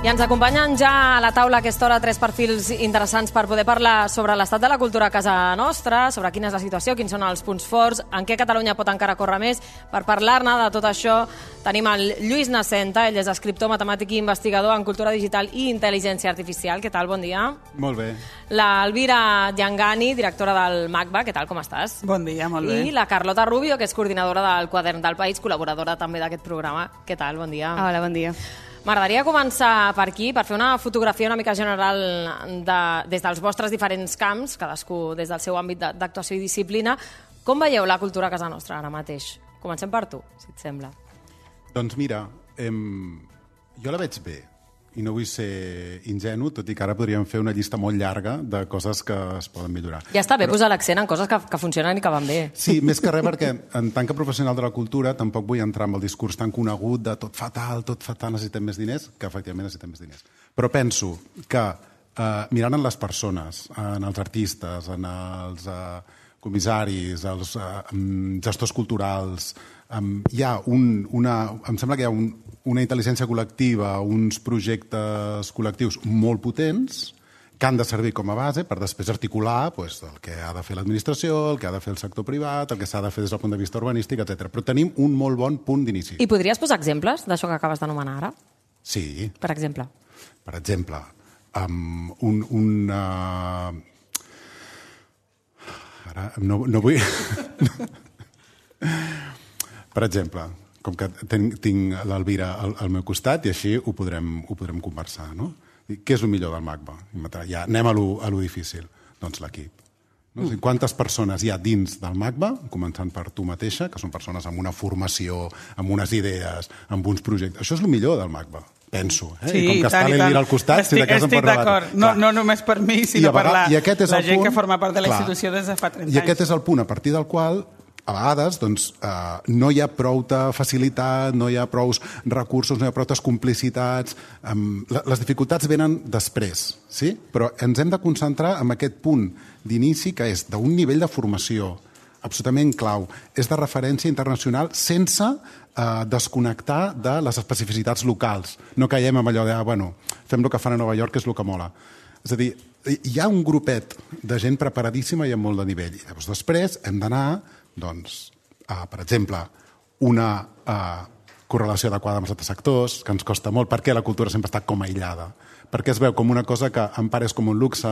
I ens acompanyen ja a la taula a aquesta hora tres perfils interessants per poder parlar sobre l'estat de la cultura a casa nostra, sobre quina és la situació, quins són els punts forts, en què Catalunya pot encara córrer més. Per parlar-ne de tot això tenim el Lluís Nascenta, ell és escriptor, matemàtic i investigador en cultura digital i intel·ligència artificial. Què tal? Bon dia. Molt bé. La Elvira Llangani, directora del MACBA. Què tal? Com estàs? Bon dia, molt bé. I la Carlota Rubio, que és coordinadora del Quadern del País, col·laboradora també d'aquest programa. Què tal? Bon dia. Hola, bon dia. M'agradaria començar per aquí, per fer una fotografia una mica general des dels vostres diferents camps, cadascú des del seu àmbit d'actuació i disciplina. Com veieu la cultura a casa nostra ara mateix? Comencem per tu, si et sembla. Doncs mira, jo la veig bé, i no vull ser ingenu, tot i que ara podríem fer una llista molt llarga de coses que es poden millorar. Ja està bé posar l'accent en coses que funcionen i que van bé. Sí, més que res perquè en tant que professional de la cultura tampoc vull entrar en el discurs tan conegut de tot fatal, necessitem més diners, que efectivament necessitem més diners. Però penso que mirant en les persones, en els artistes, en els comissaris, els gestors culturals, em sembla que hi ha una intel·ligència col·lectiva, uns projectes col·lectius molt potents que han de servir com a base per després articular el que ha de fer l'administració, el que ha de fer el sector privat, el que s'ha de fer des del punt de vista urbanístic, etc. Però tenim un molt bon punt d'inici. I podries posar exemples d'això que acabes d'anomenar ara? Sí. Per exemple? Per exemple, ara no vull... Per exemple, com que tinc l'Elvira al meu costat i així ho podrem conversar, no? Què és el millor del MACBA? Ja anem a lo difícil. Doncs l'equip. No? Quantes persones hi ha dins del MACBA, començant per tu mateixa, que són persones amb una formació, amb unes idees, amb uns projectes. Això és el millor del MACBA, penso. Sí, i com que està l'Elvira al costat, si de cas en pot rebatre. Estic d'acord. No només per mi, sinó per la gent que forma part de la institució des de fa 30 anys. I aquest és el punt a partir del qual a vegades no hi ha prou facilitat, no hi ha prous recursos, no hi ha prou complicitats. Les dificultats venen després, sí? Però ens hem de concentrar en aquest punt d'inici que és d'un nivell de formació absolutament clau. És de referència internacional sense desconnectar de les especificitats locals. No caiem en allò de, fem el que fan a Nova York, que és el que mola. És a dir, hi ha un grupet de gent preparadíssima i amb molt de nivell. I llavors després hem d'anar per exemple, una correlació adequada amb els altres sectors, que ens costa molt, perquè la cultura sempre està com aïllada, perquè es veu com una cosa que en part és com un luxe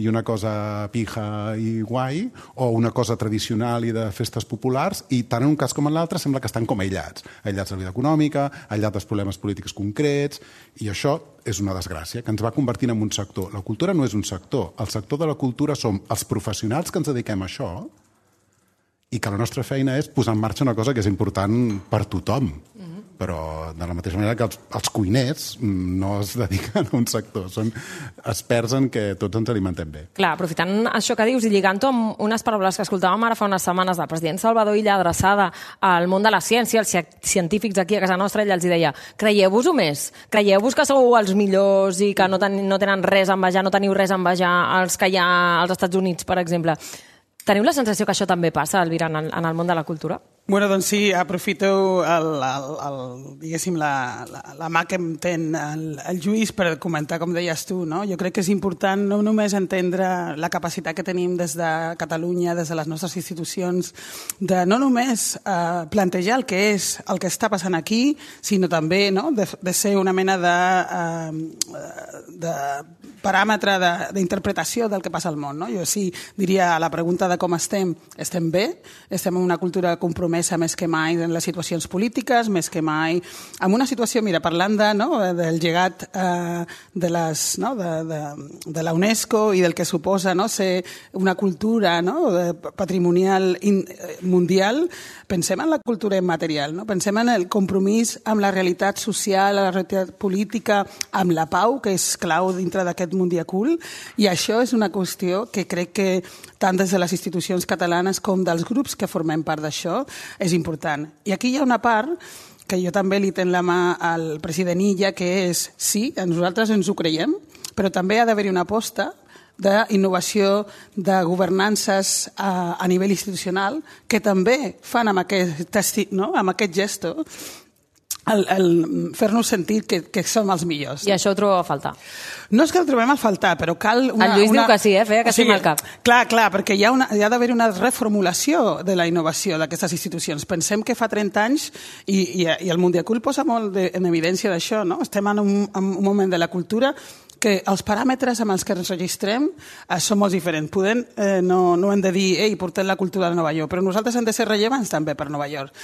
i una cosa pija i guai, o una cosa tradicional i de festes populars, i tant en un cas com en l'altre sembla que estan com aïllats de la vida econòmica, aïllats dels problemes polítics concrets, i això és una desgràcia, que ens va convertint en un sector. La cultura no és un sector, el sector de la cultura som els professionals que ens dediquem a això, i que la nostra feina és posar en marxa una cosa que és important per tothom. Però de la mateixa manera que els cuiners no es dediquen a un sector, són experts en què tots ens alimentem bé. Clar, aprofitant això que dius i lligant-ho amb unes paraules que escoltàvem ara fa unes setmanes del president Salvador Illa adreçada al món de la ciència, als científics aquí a casa nostra, ell els deia, creieu-vos-ho més, creieu-vos que sou els millors i que no tenen res a envejar, no teniu res a envejar als que hi ha als Estats Units, per exemple. Teniu la sensació que això també passa, Elvira, en el món de la cultura? Bueno, doncs sí, aprofito diguéssim, la mà que em ten el Lluís per comentar, com deies tu, no? Jo crec que és important no només entendre la capacitat que tenim des de Catalunya, des de les nostres institucions, de no només plantejar el que és el que està passant aquí, sinó també de ser una mena de paràmetre d'interpretació del que passa al món. Jo sí diria a la pregunta de com estem bé, estem en una cultura compromesa més que mai en les situacions polítiques, més que mai en una situació, mira, parlant del llegat de la UNESCO i del que suposa ser una cultura patrimonial mundial, pensem en la cultura immaterial, pensem en el compromís amb la realitat social, la realitat política, amb la pau, que és clau dintre d'aquest mundiacul, i això és una qüestió que crec que tant des de les institucions catalanes com dels grups que formem part d'això és important. I aquí hi ha una part que jo també li tenc la mà al president Illa, que és, sí, nosaltres ens ho creiem, però també ha d'haver-hi una aposta d'innovació, de governances a nivell institucional, que també fan amb aquest gesto fer-nos sentir que som els millors. I això ho trobo a faltar. No és que el trobem a faltar, però cal El Lluís diu que sí, feia que sí amb el cap. Clar, perquè hi ha d'haver una reformulació de la innovació d'aquestes institucions. Pensem que fa 30 anys, i el Mundiacult posa molt en evidència d'això, no? Estem en un moment de la cultura que els paràmetres amb els que ens registrem són molt diferents. No hem de dir, portem la cultura de Nova York, però nosaltres hem de ser rellevants també per Nova York.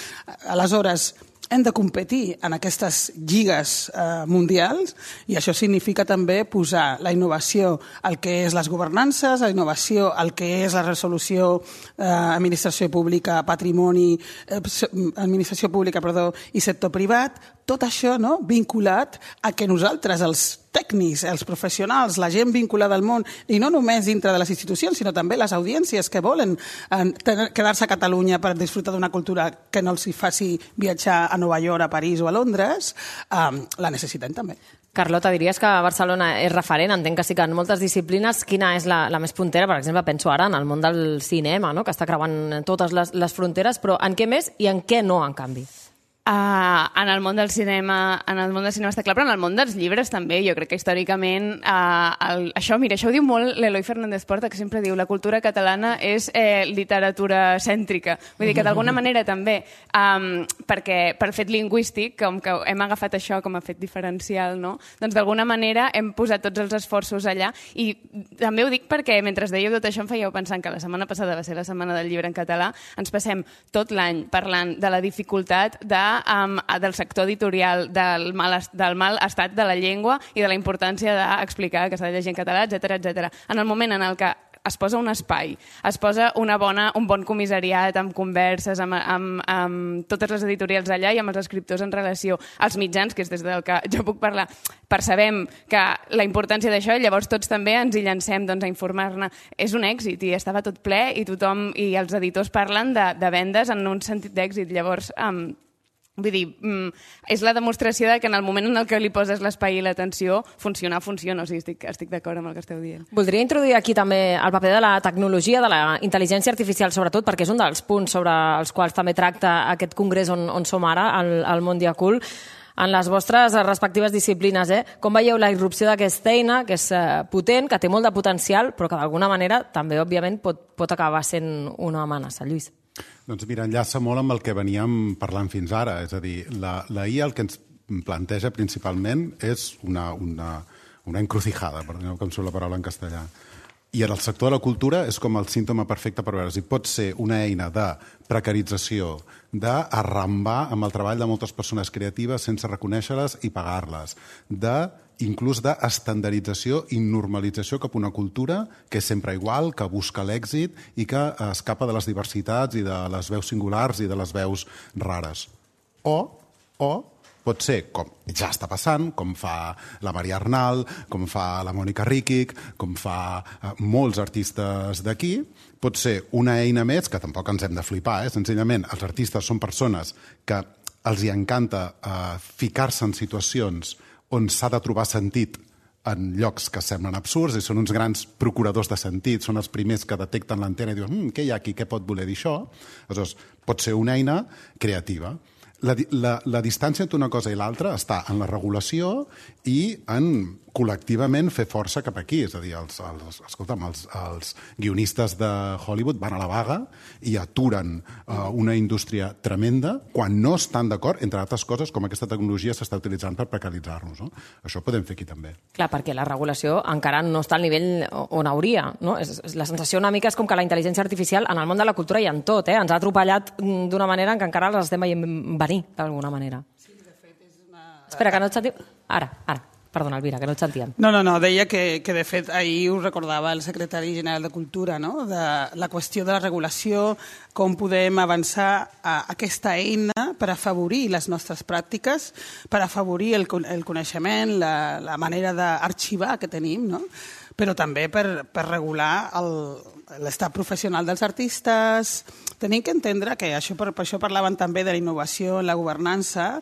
Aleshores, hem de competir en aquestes lligues mundials i això significa també posar la innovació al que és les governances, la innovació al que és la resolució administració pública, administració pública i sector privat, tot això vinculat a que nosaltres, els tècnics, els professionals, la gent vinculada al món, i no només dintre de les institucions, sinó també les audiències que volen quedar-se a Catalunya per disfrutar d'una cultura que no els faci viatjar a Nova York, a París o a Londres, la necessitem també. Carlota, diries que Barcelona és referent? Entenc que sí que en moltes disciplines. Quina és la més puntera? Per exemple, penso ara en el món del cinema, que està creuant totes les fronteres, però en què més i en què no, en canvi? En el món del cinema està clar, però en el món dels llibres també. Jo crec que històricament això ho diu molt l'Eloi Fernández Porta, que sempre diu la cultura catalana és literatura cèntrica. Vull dir que d'alguna manera també, perquè per fet lingüístic, com que hem agafat això com a fet diferencial, no? Doncs d'alguna manera hem posat tots els esforços allà, i també ho dic perquè mentre dèieu tot això em fèieu pensant que la setmana passada va ser la setmana del llibre en català, ens passem tot l'any parlant de la dificultat del sector editorial, del mal estat de la llengua i de la importància d'explicar que s'ha de llegir en català, etc. En el moment en el que es posa un espai, es posa un bon comissariat amb converses, amb totes les editorials allà i amb els escriptors en relació als mitjans, que és des del que jo puc parlar, percebem que la importància d'això, llavors tots també ens hi llancem a informar-ne. És un èxit i estava tot ple i tothom i els editors parlen de vendes en un sentit d'èxit. Llavors, vull dir, és la demostració que en el moment en el que li poses l'espai i l'atenció, funciona. O sigui, estic d'acord amb el que esteu dient. Voldria introduir aquí també el paper de la tecnologia, de la intel·ligència artificial, sobretot, perquè és un dels punts sobre els quals també tracta aquest congrés on som ara, al Mondiacult. En les vostres respectives disciplines, com veieu la irrupció d'aquesta eina, que és potent, que té molt de potencial, però que d'alguna manera també, òbviament, pot acabar sent una amenaça. Lluís. Doncs mira, enllaça molt amb el que veníem parlant fins ara. És a dir, la IA el que ens planteja principalment és una encrucijada, perdoneu que em surt la paraula en castellà. I en el sector de la cultura és com el símptoma perfecte per veure si pot ser una eina de precarització, d'arrambar amb el treball de moltes persones creatives sense reconèixer-les i pagar-les, inclús d'estandardització i normalització cap a una cultura que és sempre igual, que busca l'èxit i que escapa de les diversitats i de les veus singulars i de les veus rares. O pot ser, com ja està passant, com fa la Maria Arnal, com fa la Mònica Ríquic, com fa molts artistes d'aquí, pot ser una eina més, que tampoc ens hem de flipar, senzillament els artistes són persones que els hi encanta ficar-se en situacions on s'ha de trobar sentit en llocs que semblen absurds i són uns grans procuradors de sentit, són els primers que detecten l'antena i diuen què hi ha aquí, què pot voler dir això? Aleshores, pot ser una eina creativa. La distància entre una cosa i l'altra està en la regulació i en col·lectivament fer força cap aquí. És a dir, els guionistes de Hollywood van a la vaga i aturen una indústria tremenda quan no estan d'acord, entre altres coses, com aquesta tecnologia s'està utilitzant per precaritzar-nos. No? Això ho podem fer aquí també. Clar, perquè la regulació encara no està al nivell on hauria. No? La sensació una mica és com que la intel·ligència artificial en el món de la cultura i en tot, ens ha atropellat d'una manera en què encara les estem veient venir, d'alguna manera. Sí, de fet, és una... Espera, que no et sentim... Ara. Perdona, Elvira, que no et sentíem. No, deia que de fet ahir ho recordava el secretari general de Cultura, no? De la qüestió de la regulació, com podem avançar a aquesta eina per afavorir les nostres pràctiques, per afavorir el coneixement, la manera d'arxivar que tenim, no? Però també per regular l'estat professional dels artistes. Tenim que entendre que per això parlaven també de la innovació en la governança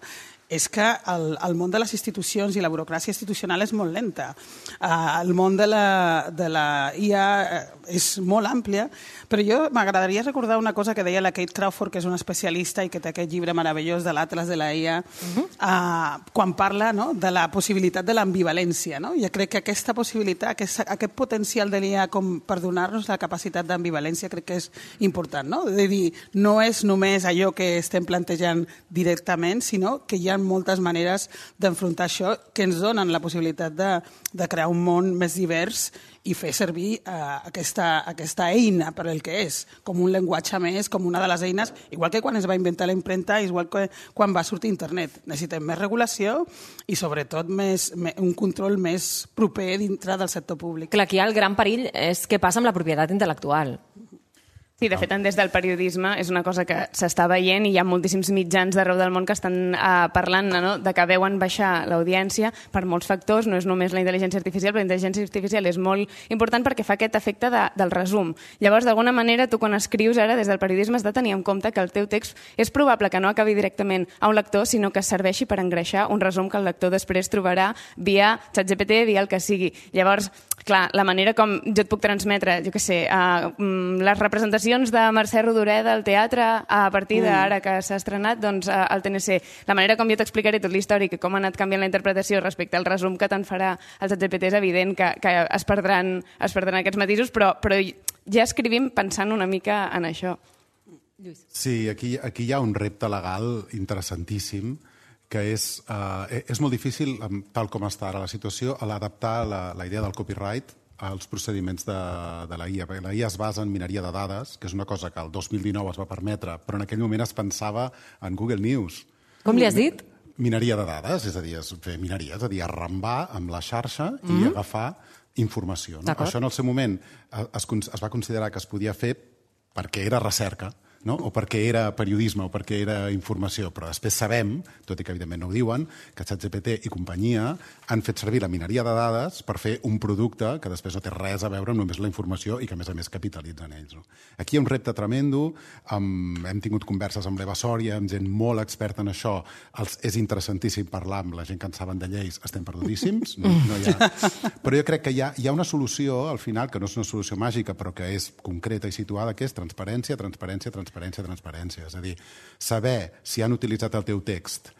és que el món de les institucions i la burocràcia institucional és molt lenta. El món de la IA és molt àmplia, però jo m'agradaria recordar una cosa que deia la Kate Crawford, que és una especialista i que té aquest llibre meravellós de l'Atlas de la IA, quan parla de la possibilitat de l'ambivalència. Jo crec que aquesta possibilitat, aquest potencial de l'IA com per donar-nos la capacitat d'ambivalència crec que és important. De dir, no és només allò que estem plantejant directament, sinó que hi ha moltes maneres d'enfrontar això que ens donen la possibilitat de crear un món més divers i fer servir aquesta eina per el que és, com un llenguatge més, com una de les eines, igual que quan es va inventar la impremta, igual que quan va sortir internet. Necessitem més regulació i, sobretot, un control més proper dintre del sector públic. Clar, aquí el gran perill és què passa amb la propietat intel·lectual. Sí, de fet, des del periodisme és una cosa que s'està veient i hi ha moltíssims mitjans d'arreu del món que estan parlant de que veuen baixar l'audiència per molts factors, no és només la intel·ligència artificial, però la intel·ligència artificial és molt important perquè fa aquest efecte del resum. Llavors, d'alguna manera, tu quan escrius ara des del periodisme has de tenir en compte que el teu text és probable que no acabi directament a un lector, sinó que serveixi per engreixar un resum que el lector després trobarà via ChatGPT, via el que sigui. Llavors, clar, la manera com jo et puc transmetre, jo què sé, les representacions de Mercè Rodoreda al teatre a partir d'ara que s'ha estrenat al TNC. La manera com jo t'explicaré tot l'històric i com ha anat canviant la interpretació respecte al resum que te'n farà el ChatGPT és evident que es perdran aquests matisos, però ja escrivim pensant una mica en això. Sí, aquí hi ha un repte legal interessantíssim que és molt difícil, tal com està ara la situació, a l'adaptar la idea del copyright als procediments de la IA. La IA es basa en mineria de dades, que és una cosa que el 2019 es va permetre, però en aquell moment es pensava en Google News. Com li has dit? Mineria de dades, és a dir, fer mineria, és a dir, arrambar amb la xarxa i agafar informació. Això en el seu moment es va considerar que es podia fer perquè era recerca, o perquè era periodisme o perquè era informació, però després sabem, tot i que evidentment no ho diuen, que ChatGPT i companyia han fet servir la mineria de dades per fer un producte que després no té res a veure amb només la informació i que a més capitalitzen ells. Aquí hi ha un repte tremendo, hem tingut converses amb l'Eva Sòria, amb gent molt experta en això, és interessantíssim parlar amb la gent que en saben de lleis, estem perdudíssims, però jo crec que hi ha una solució al final, que no és una solució màgica, però que és concreta i situada, que és transparència. És a dir, saber si han utilitzat el teu text,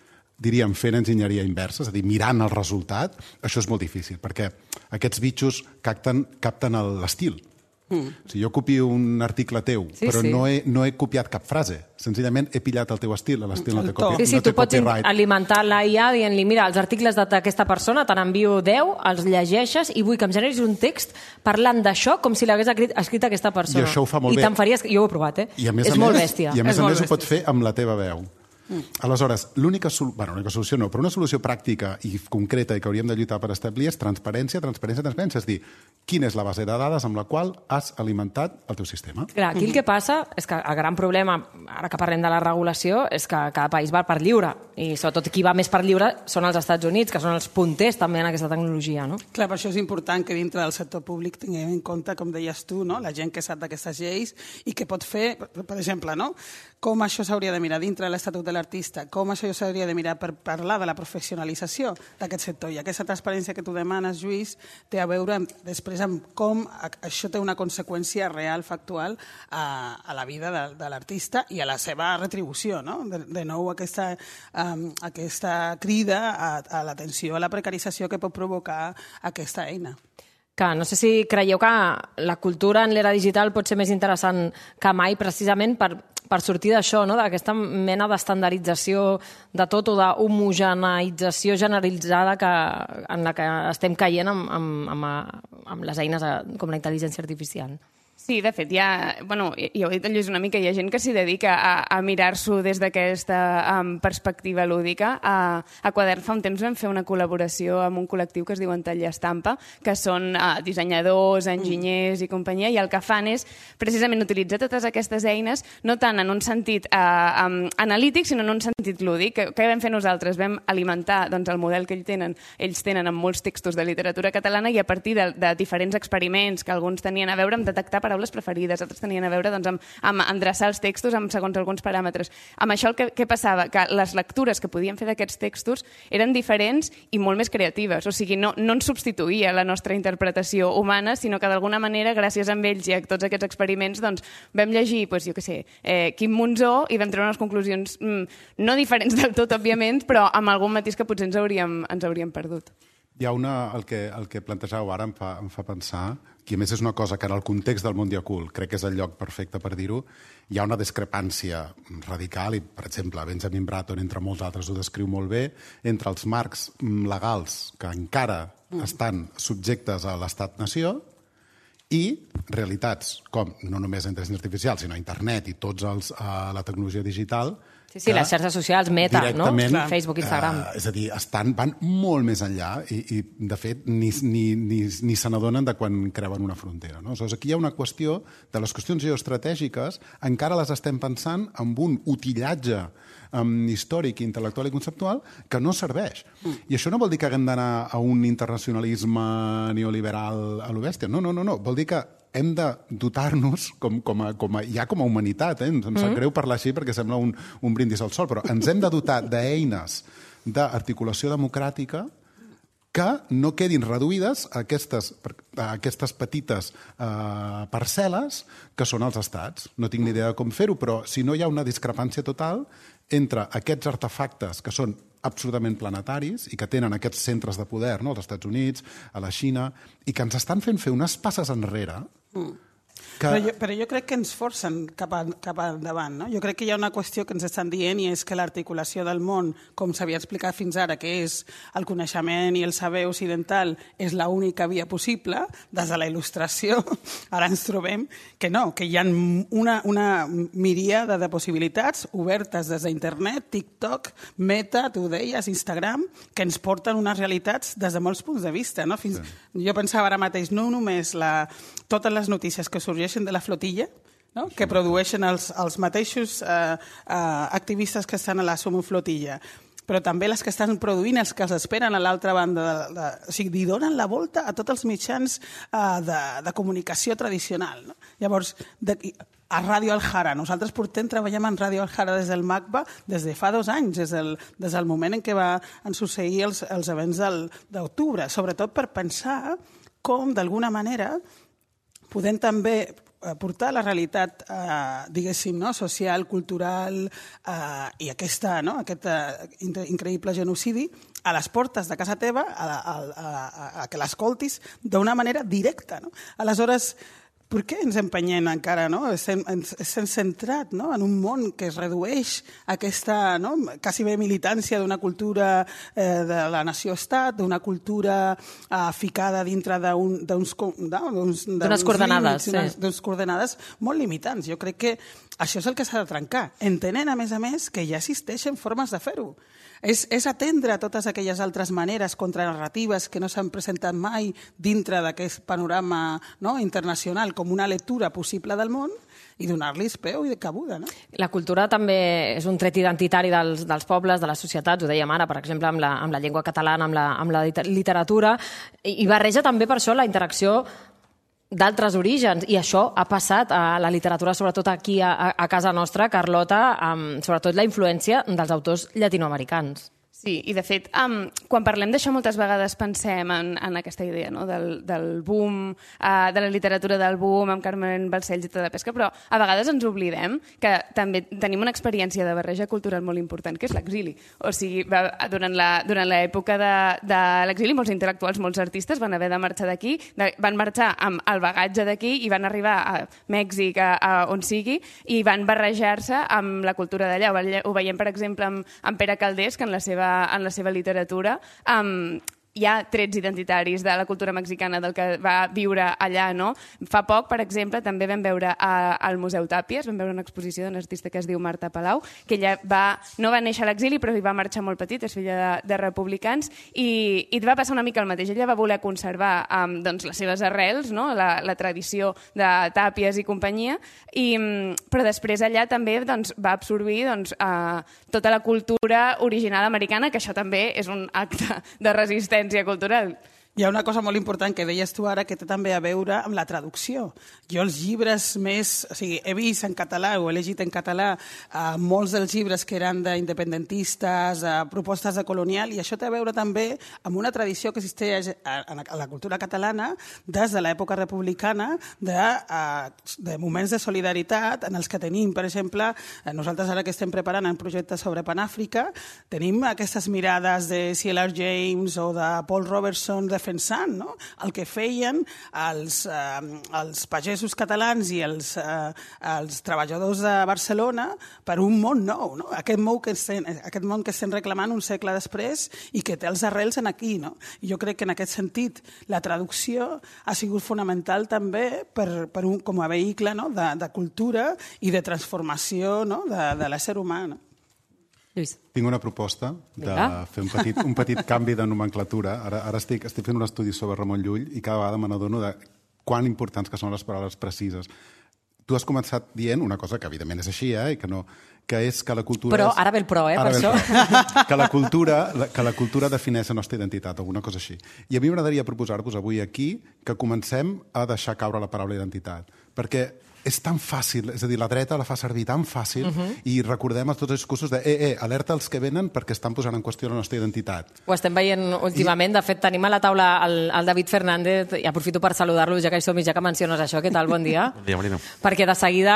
diríem, fent enginyeria inversa, és a dir, mirant el resultat, això és molt difícil, perquè aquests bitxos capten l'estil. Si jo copio un article teu, però no he copiat cap frase, senzillament he pillat el teu estil, l'estil no té copyright. Sí, tu pots alimentar la IA dient-li, mira, els articles d'aquesta persona te n'envio 10, els llegeixes i vull que em generis un text parlant d'això com si l'hagués escrit aquesta persona. I això ho fa molt bé. I te'n faries... Jo ho he provat, És molt bèstia. I a més a més ho pots fer amb la teva veu. Aleshores, l'única solució no, però una solució pràctica i concreta i que hauríem de lluitar per establir és transparència. És dir, quina és la base de dades amb la qual has alimentat el teu sistema. Clar, aquí el que passa és que el gran problema, ara que parlem de la regulació, és que cada país va per lliure i sobretot qui va més per lliure són els Estats Units, que són els punters també en aquesta tecnologia. Clar, per això és important que dintre del sector públic tinguem en compte, com deies tu, la gent que sap d'aquestes lleis i que pot fer, per exemple, com això s'hauria de mirar dintre de l'Estatut de l'artista, com això s'hauria de mirar per parlar de la professionalització d'aquest sector. I aquesta transparència que tu demanes, Lluís, té a veure després amb com això té una conseqüència real, factual, a la vida de l'artista i a la seva retribució. De nou, aquesta crida a l'atenció a la precarització que pot provocar aquesta eina. Que no sé si creieu que la cultura en l'era digital pot ser més interessant que mai precisament per sortir d'això, d'aquesta mena d'estandardització de tot o d'homogeneïtzació generalitzada en la que estem caient amb les eines com la intel·ligència artificial. Sí, de fet, ja ho he dit en Lluís una mica, hi ha gent que s'hi dedica a mirar-s'ho des d'aquesta perspectiva lúdica. A Quadern fa un temps vam fer una col·laboració amb un col·lectiu que es diu Entall Estampa, que són dissenyadors, enginyers i companyia, i el que fan és precisament utilitzar totes aquestes eines, no tant en un sentit analític, sinó en un sentit lúdic. Què vam fer nosaltres? Vam alimentar el model que ells tenen amb molts textos de literatura catalana i a partir de diferents experiments que alguns tenien a veure amb detectar paraules paraules preferides, altres tenien a veure doncs, amb endreçar els textos segons alguns paràmetres. Amb això què passava? Que les lectures que podíem fer d'aquests textos eren diferents i molt més creatives. O sigui, no ens substituïa la nostra interpretació humana, sinó que d'alguna manera, gràcies a ells i a tots aquests experiments, doncs, vam llegir, doncs, jo què sé, Quim Monzó i vam treure unes conclusions no diferents del tot, òbviament, però amb algun matís que potser ens hauríem perdut. Hi ha el que plantejàveu ara em fa pensar, que a més és una cosa que en el context del món diacult crec que és el lloc perfecte per dir-ho, hi ha una discrepància radical, i per exemple Benjamin Bratton, entre molts altres, ho descriu molt bé, entre els marcs legals que encara estan subjectes a l'estat-nació i realitats com no només la intel·ligència artificial, sinó internet i la tecnologia digital. Sí, les xarxes socials, Meta, no? Facebook, Instagram. És a dir, van molt més enllà i de fet, ni se n'adonen de quan creuen una frontera. No? Aleshores, aquí hi ha una qüestió de les qüestions geoestratègiques, encara les estem pensant amb un utillatge històric, intel·lectual i conceptual que no serveix. I això no vol dir que haguem d'anar a un internacionalisme neoliberal a lo bèstia. No. Vol dir que hem de dotar-nos ja com a humanitat. Em sap greu parlar així perquè sembla un brindis al sol, però ens hem de dotar d'eines d'articulació democràtica que no quedin reduïdes a aquestes petites parcel·les que són els estats. No tinc ni idea de com fer-ho, però si no hi ha una discrepància total entre aquests artefactes que són absolutament planetaris i que tenen aquests centres de poder, no? Als Estats Units, a la Xina, i que ens estan fent fer unes passes enrere Però jo crec que ens forcen cap endavant. No? Jo crec que hi ha una qüestió que ens estan dient i és que l'articulació del món, com s'havia explicat fins ara, que és el coneixement i el saber occidental, és l'única via possible, des de la il·lustració, ara ens trobem que no, que hi ha una miríada de possibilitats obertes des d'internet, TikTok, Meta, tu deies, Instagram, que ens porten unes realitats des de molts punts de vista. No? Jo pensava ara mateix, no només totes les notícies que sorgeixen de la flotilla, no? Que produeixen els mateixos activistes que estan a la Somoflotilla, però també les que estan produint, els que s'esperen a l'altra banda. O sigui, donen la volta a tots els mitjans de comunicació tradicional. No? Llavors, a Ràdio Alhara. Nosaltres treballem en Ràdio Alhara des del MACBA des de fa 2 anys, des del moment en què van succeir els events d'octubre, sobretot per pensar com, d'alguna manera, podem també portar la realitat, diguéssim, social, cultural i aquest increïble genocidi a les portes de casa teva, a que l'escoltis d'una manera directa. No? Aleshores, per què ens empenyem encara? No? Estem centrat en un món que es redueix a aquesta quasi bé militància d'una cultura de la nació-estat, d'una cultura ficada dintre d'unes coordenades, d'unes coordenades molt limitants. Jo crec que això és el que s'ha de trencar, entenent, a més, que ja existeixen formes de fer-ho. És atendre totes aquelles altres maneres contranarratives que no s'han presentat mai dintre d'aquest panorama internacional com una lectura possible del món i donar-los peu i de cabuda. No? La cultura també és un tret identitari dels pobles, de les societats, ho dèiem ara, per exemple, amb la llengua catalana, amb la literatura, i barreja també per això la interacció d'altres orígens, i això ha passat a la literatura, sobretot aquí a casa nostra, Carlota, sobretot la influència dels autors llatinoamericans. Sí, i de fet, quan parlem d'això moltes vegades pensem en aquesta idea del boom, de la literatura del boom, amb Carmen Balcells i tota la pesca, però a vegades ens oblidem que també tenim una experiència de barreja cultural molt important, que és l'exili. O sigui, durant l'època de l'exili, molts intel·lectuals, molts artistes van haver de marxar d'aquí, van marxar amb el bagatge d'aquí i van arribar a Mèxic, on sigui, i van barrejar-se amb la cultura d'allà. Ho veiem, per exemple, amb Pere Calders, que en la seva literatura hi ha trets identitaris de la cultura mexicana del que va viure allà, no? Fa poc, per exemple, també vam veure al Museu Tàpies, vam veure una exposició d'una artista que es diu Marta Palau, que ella no va néixer a l'exili, però hi va marxar molt petit, és filla de republicans, i va passar una mica el mateix. Ella va voler conservar les seves arrels, la tradició de Tàpies i companyia, però després allà també va absorbir tota la cultura original americana, que això també és un acte de resistència cultural. Hi ha una cosa molt important que deies tu ara que té també a veure amb la traducció. Jo els llibres més... O sigui, he vist en català o he llegit en català molts dels llibres que eren d'independentistes, propostes de colonial, i això té a veure també amb una tradició que existeix a la cultura catalana des de l'època republicana de moments de solidaritat en els que tenim, per exemple, nosaltres ara que estem preparant un projecte sobre Panàfrica, tenim aquestes mirades de C.L.R. James o de Paul Robertson defensant, no? El que feien els pagesos catalans i els treballadors de Barcelona per un món nou, no? Aquest món que estem reclamant un segle després i que té els arrels en aquí, no? I jo crec que en aquest sentit la traducció ha sigut fonamental també com a vehicle, no? de cultura i de transformació, no? de l'ésser humà. No? Lluís. Tinc una proposta de fer un petit canvi de nomenclatura. Ara estic fent un estudi sobre Ramon Llull i cada vegada me n'adono de quan importants que són les paraules precises. Tu has començat dient una cosa que evidentment és així, i que és que la cultura... Però ara ve el pro, per això. Que la cultura defineix la nostra identitat, alguna cosa així. I a mi m'agradaria proposar-vos avui aquí que comencem a deixar caure la paraula identitat. Perquè és tan fàcil, és a dir, la dreta la fa servir tan fàcil i recordem tots els discursos de alerta als que venen perquè estan posant en qüestió la nostra identitat. Ho estem veient últimament. De fet, tenim a la taula el David Fernández i aprofito per saludar-lo, ja que hi som i ja que menciones això. Què tal? Bon dia. Bon dia, Marina. Perquè de seguida,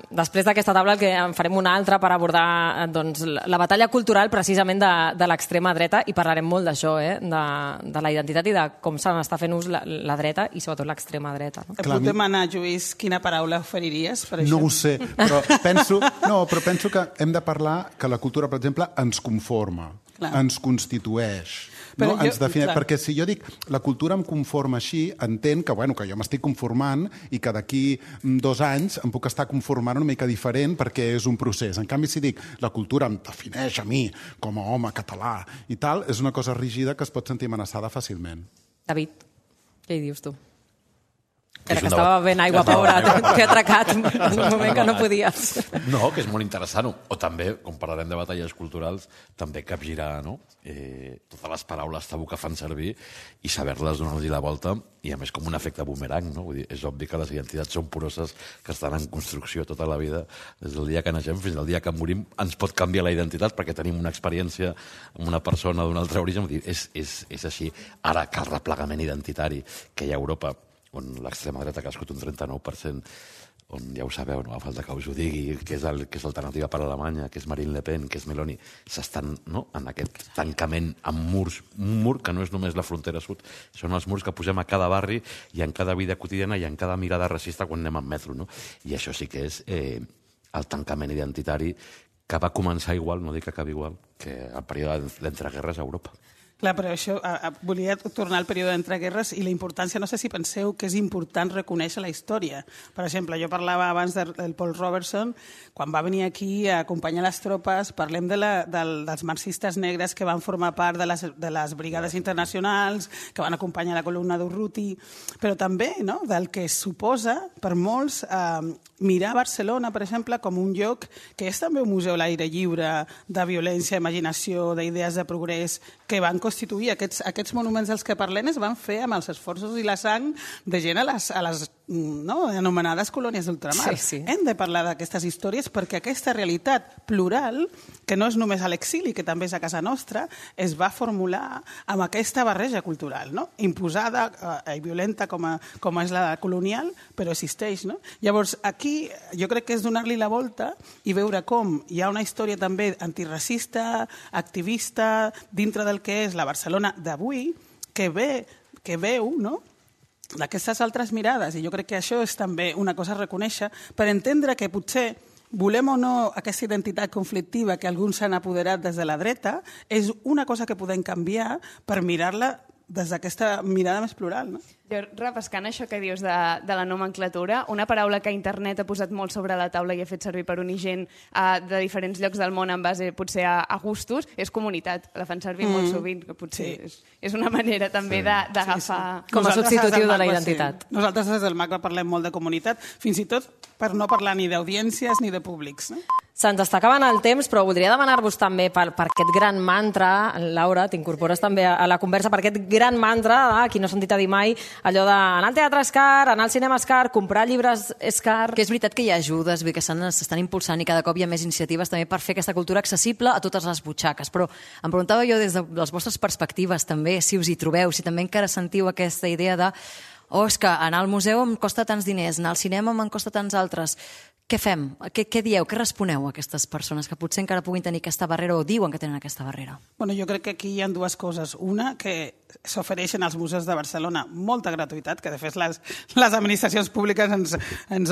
després d'aquesta taula, que en farem una altra per abordar la batalla cultural precisament de l'extrema dreta i parlarem molt d'això, de la identitat i de com se n'està fent ús la dreta i sobretot l'extrema dreta. Et puc demanar, Lluís, quina paraula oferiries per això? No ho sé, però penso que hem de parlar que la cultura, per exemple, ens conforma, ens constitueix. No? Ens defineix, perquè si jo dic la cultura em conforma així, entenc que jo m'estic conformant i que d'aquí 2 anys em puc estar conformant una mica diferent perquè és un procés. En canvi, si dic la cultura em defineix a mi com a home català i tal, és una cosa rígida que es pot sentir amenaçada fàcilment. David, què hi dius tu? Era que estava ben aigua, pobra, t'he atracat en un moment que no podies. No, que és molt interessant. O també, com parlarem de batalles culturals, també capgirar totes les paraules tabú que fan servir i saber-les donar-li la volta i, a més, com un efecte boomerang. No? Vull dir, és obvi que les identitats són poroses, que estan en construcció tota la vida. Des del dia que naixem fins al dia que morim ens pot canviar la identitat perquè tenim una experiència amb una persona d'un altre origen. Vull dir, és així. Ara, que el replegament identitari que hi ha a Europa, on l'extrema dreta ha crescut un 39%, on ja ho sabeu, no? A falta que us ho digui, que és l'alternativa per a Alemanya, que és Marine Le Pen, que és Meloni, s'estan en aquest tancament amb murs, un mur que no és només la frontera sud, són els murs que posem a cada barri i en cada vida quotidiana i en cada mirada racista quan anem en metro, no? I això sí que és el tancament identitari que va començar igual, no dic que acabi igual, que el període d'entreguerres a Europa. Clar, però això, volia tornar al període d'entreguerres i la importància, no sé si penseu que és important reconèixer la història. Per exemple, jo parlava abans del Paul Robertson, quan va venir aquí a acompanyar les tropes, parlem dels marxistes negres que van formar part de les brigades internacionals, que van acompanyar la columna d'Urruti, però també del que suposa per molts mirar Barcelona, per exemple, com un lloc que és també un museu a l'aire lliure de violència, imaginació, d'idees de progrés, que van constituir aquests monuments dels que parlem es van fer amb els esforços i la sang de gent a les anomenades colònies d'ultramar. Sí. Hem de parlar d'aquestes històries perquè aquesta realitat plural, que no és només a l'exili, que també és a casa nostra, es va formular amb aquesta barreja cultural, no? Imposada i violenta com és la colonial, però existeix. No? Llavors, aquí jo crec que és donar-li la volta i veure com hi ha una història també antiracista, activista, dintre del que és la Barcelona d'avui, que veu, no?, d'aquestes altres mirades, i jo crec que això és també una cosa a reconèixer per entendre que potser volem o no aquesta identitat conflictiva que alguns s'han apoderat des de la dreta, és una cosa que podem canviar per mirar-la des d'aquesta mirada més plural. No? Jo, repescant això que dius de la nomenclatura, una paraula que internet ha posat molt sobre la taula i ha fet servir per unir gent de diferents llocs del món en base potser a gustos, és comunitat. La fan servir molt sovint, que potser és una manera també d'agafar... Com a substitutiu de la identitat. Nosaltres des del MACBA parlem molt de comunitat, fins i tot per no parlar ni d'audiències ni de públics. No? Se'ns està acabant el temps, però voldria demanar-vos també per aquest gran mantra, Laura, t'incorpores també a la conversa, per aquest gran mantra, qui no ha sentit a dir mai, allò d'anar al teatre és car, anar al cinema és car, comprar llibres és car... Que és veritat que hi ha ajudes, que s'estan impulsant i cada cop hi ha més iniciatives també per fer aquesta cultura accessible a totes les butxaques. Però em preguntava jo des de les vostres perspectives també, si us hi trobeu, si també encara sentiu aquesta idea de és que anar al museu em costa tants diners, anar al cinema me'n costa tants altres. Què fem? Què dieu? Què responeu a aquestes persones que potser encara puguin tenir aquesta barrera o diuen que tenen aquesta barrera? Bueno, jo crec que aquí hi ha dues coses. Una, que s'ofereixen als museus de Barcelona molta gratuïtat, que de fet les administracions públiques ens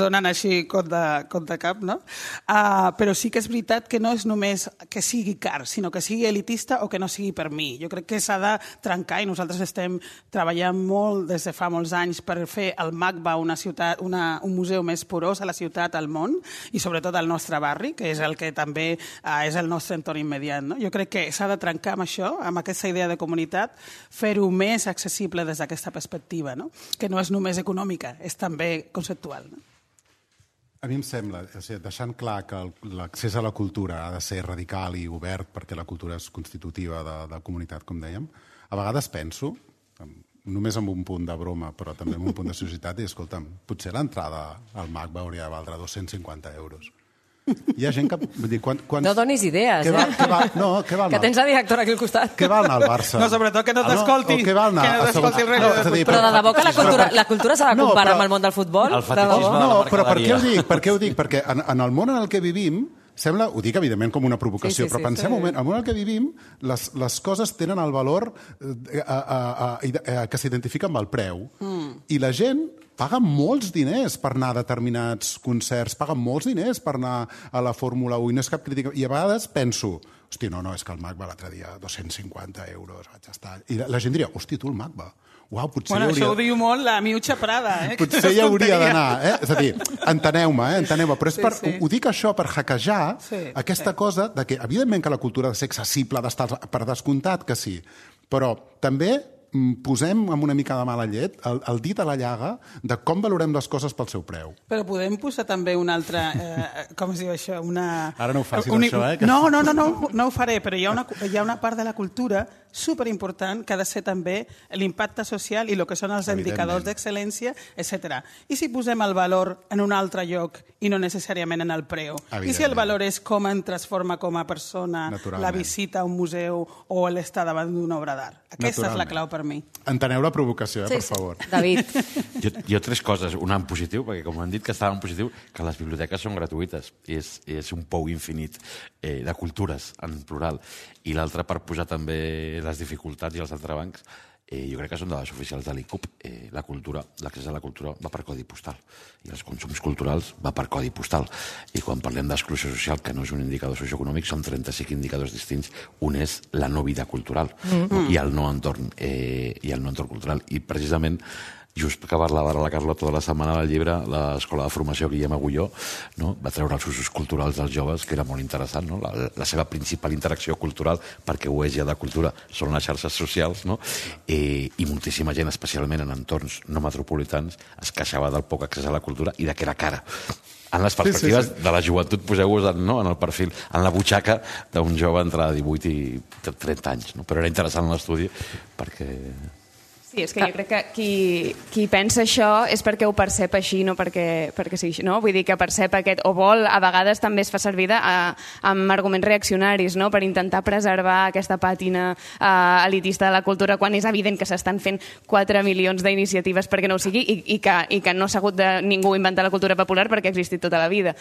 donen així compte cap, no? Però sí que és veritat que no és només que sigui car, sinó que sigui elitista o que no sigui per mi. Jo crec que s'ha de trencar i nosaltres estem treballant molt des de fa molts anys per fer el MACBA un museu més porós a la ciutat, al món, i sobretot al nostre barri, que és el que també és el nostre entorn immediat. No? Jo crec que s'ha de trencar amb això, amb aquesta idea de comunitat, fer-ho més accessible des d'aquesta perspectiva, no? Que no és només econòmica, és també conceptual. No? A mi em sembla, deixant clar que l'accés a la cultura ha de ser radical i obert perquè la cultura és constitutiva de comunitat, com dèiem, a vegades penso, només amb un punt de broma, però també amb un punt de societat, i escolta'm, potser l'entrada al MACBA hauria de valdre 250 euros. Hi ha gent que... Vull dir, no donis idees, què val que tens la directora aquí al costat. Què val anar al Barça? No, sobretot que no t'escolti. Què val anar? Però de debò que la cultura s'ha de comparar amb el món del futbol? El fetichisme de la mercaderia. No, però per què ho dic? Perquè en el món en el que vivim, sembla, ho dic evidentment com una provocació, però pensem un moment, en el món en el que vivim, les coses tenen el valor que s'identifica amb el preu. I la gent paga molts diners per anar a determinats concerts, paga molts diners per anar a la Fórmula 1, i no és cap crítica. I a vegades penso, hosti, no, és que el MACBA l'altre dia 250 euros, vaig estar... I la gent diria, hosti, tu el MACBA, uau, potser bueno, això ho diu molt la Miucha Prada, potser hi hauria d'anar, És a dir, enteneu-me, però ho dic això per hackejar aquesta cosa de que, evidentment que la cultura ha de ser accessible, d'estar per descomptat que sí, però també posem amb una mica de mala llet el dit a la llaga de com valorem les coses pel seu preu. Però podem posar també una altra... com es diu això? Ara no ho facis, això, No ho faré, però hi ha una part de la cultura superimportant que ha de ser també l'impacte social i el que són els indicadors d'excel·lència, etc. I si posem el valor en un altre lloc i no necessàriament en el preu? I si el valor és com em transforma com a persona la visita a un museu o l'estar davant d'una obra d'art? Aquesta és la clau per mi. Enteneu la provocació, per favor. David. Jo tres coses. Una en positiu, perquè com han dit que estava en positiu, que les biblioteques són gratuïtes. És un pou infinit de cultures, en plural. I l'altra, per posar també les dificultats i els entrebancs, jo crec que són dades oficials de l'ICUP. La cultura, l'accés a la cultura va per codi postal i els consums culturals va per codi postal. I quan parlem d'exclusió social, que no és un indicador socioeconòmic, són 35 indicadors distints. Un és la no vida cultural i el no entorn cultural. I precisament just que parlava ara la Carlota de la setmana del llibre, l'Escola de Formació Guillem Agulló va treure els usos culturals dels joves, que era molt interessant. No? La seva principal interacció cultural, perquè ho és ja de cultura, són les xarxes socials, no? I moltíssima gent, especialment en entorns no metropolitans, es queixava del poc accés a la cultura i de que era cara. En les perspectives de la joventut, poseu-vos en el perfil, en la butxaca d'un jove entre 18 i 30 anys. No? Però era interessant l'estudi perquè... Sí, és que jo crec que qui pensa això és perquè ho percep així, no perquè sigui així, no? Vull dir que percep aquest, o vol, a vegades també es fa servir amb arguments reaccionaris, no? Per intentar preservar aquesta pàtina elitista de la cultura, quan és evident que s'estan fent 4 milions d'iniciatives perquè no ho sigui i que no s'ha hagut de ningú inventar la cultura popular perquè ha existit tota la vida.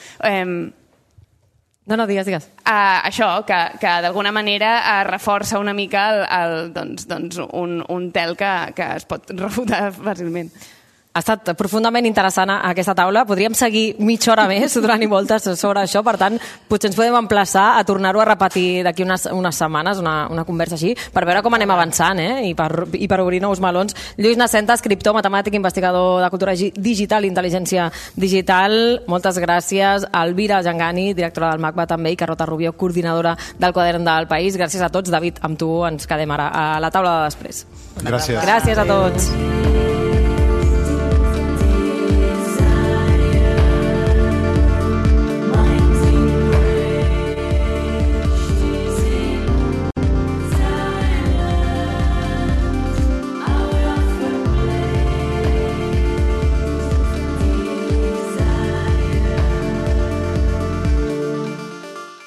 No, digues. Això, que d'alguna manera reforça una mica un tel que es pot refutar fàcilment. Ha estat profundament interessant aquesta taula. Podríem seguir mitja hora més donant-hi voltes sobre això. Per tant, potser ens podem emplaçar a tornar-ho a repetir d'aquí unes setmanes, una conversa així, per veure com anem avançant, I per obrir nous melons. Lluís Nascenta, escriptor, matemàtic, investigador de cultura digital i intel·ligència digital. Moltes gràcies. Elvira Jangani, directora del MACBA també, i Carlota Rubio, coordinadora del Quadern del País. Gràcies a tots. David, amb tu ens quedem ara a la taula de després. Gràcies. Gràcies a tots.